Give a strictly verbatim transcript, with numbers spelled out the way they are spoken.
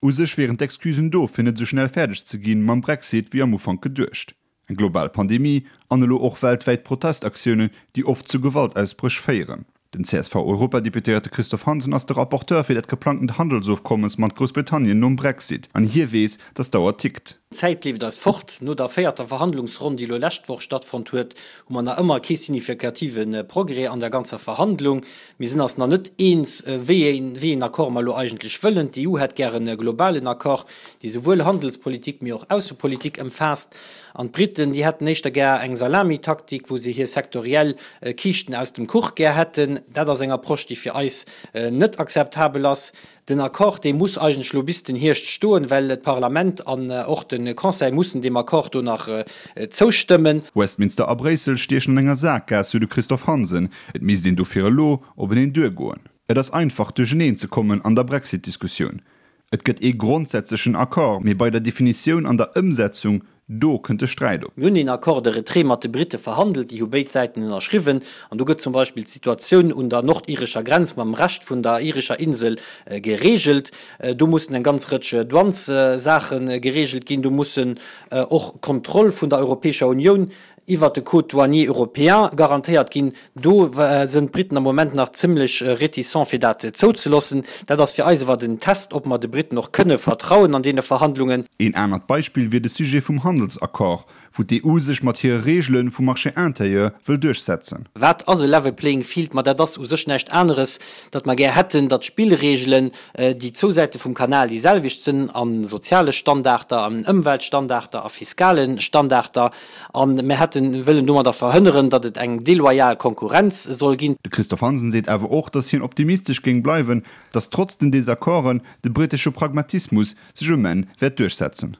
U sech wieren d'Excusen do, fir net sou schnell fäerdeg ze ginn mam Brexit wéi am Ufank geduecht. Eng global Pandemie an elo och weltwäit Protestaktiounen, déi oft zu Gewaltausbréch féieren. Den C S V-Europadeputéierte Christophe Hansen ass de Rapporteur fir dat geplangtent Handelsofkommes mat Groussbritannien nom Brexit an hie weess, dass d'Auer tickt. D'Zäit leeft eis fort. No der véierter Verhandlungsronn, déi elo lescht Woch stattfonnt huet, hu mer nach ëmmer kee signifikative Progrès an der ganzer Verhandlung. Mir sinn eis nach net eens, wéi een, wéi een Accord mer elo eigentlech wëllen. D'E U hätt gären e globalen Accord, dee souwuel Handelspolitik, mee och Aussepolitik ëmfaasst. An d'Briten, déi hätten éischter gär eng Salamitaktik, wou se hir sektoriell Kiischten aus dem Kuch gär hätten. Dat ass eng Approche, déi fir eis net akzeptabel ass. Den Accord, dee muss eigentlech elo bis den Hierscht stoen, well d'Parlament an och de Conseil mussen deem Accord do nach zoustëmmen. Westminster a Bréissel stiechen an enger Sakgaass, sou de Christophe Hansen. Et misst een dofir elo openeen duergoen. Et ass einfach duercheneen ze kommen an der Brexit-Diskussioun. Et gëtt ee grondsätzlechen Accord, mee bei der Definitioun an der Ëmsetzung, do kënnt de Sträit op. Mir hunn een Accord de retrait mat de Britte verhandelt, déi hu béid Säiten ënnerschriwwen. An do gëtt zum Beispill d'Situatioun un der nordirescher Grenz mam Rescht vun der irescher Insel gereegelt. Do mussen eng ganz Rëtsch Douanessaache gereegelt ginn. Do mussen och d'Kontroll vun der Europäescher Unioun iwwert de Code douanier européen garantéiert ginn. Do sënn d'Briten am Moment nach zimlech réticent fir dat zouzeloossen. Dat ass fir eis awer den Test, ob mer de Briten och kënne vertrauen an deene Verhandlungen. Een anert Beispill wier de Sujet vum Handelsaccord, wou d'E U sech mat hire Reegele vum Marché intérieur wëll duerchsetzen. Wat ass e level playing field? Ma dat ass u sech näischt aneres, datt mer gär hätten, datt d'Spillreegelen, déi zwou Säite vum Kanal déi selwecht sënn a soziale Standarder, an Ëmweltstandarder, a fiskale Standarder. A mir hätten wëllen domadder verhënneren, datt et eng deloyal Konkurrenz soll ginn. De Christophe Hansen seet awer och, datt hien optimistesch géing bleiwen, datt trotz den Desaccorden de brittesche Pragmatismus sech um Enn wäert duerchsetzen.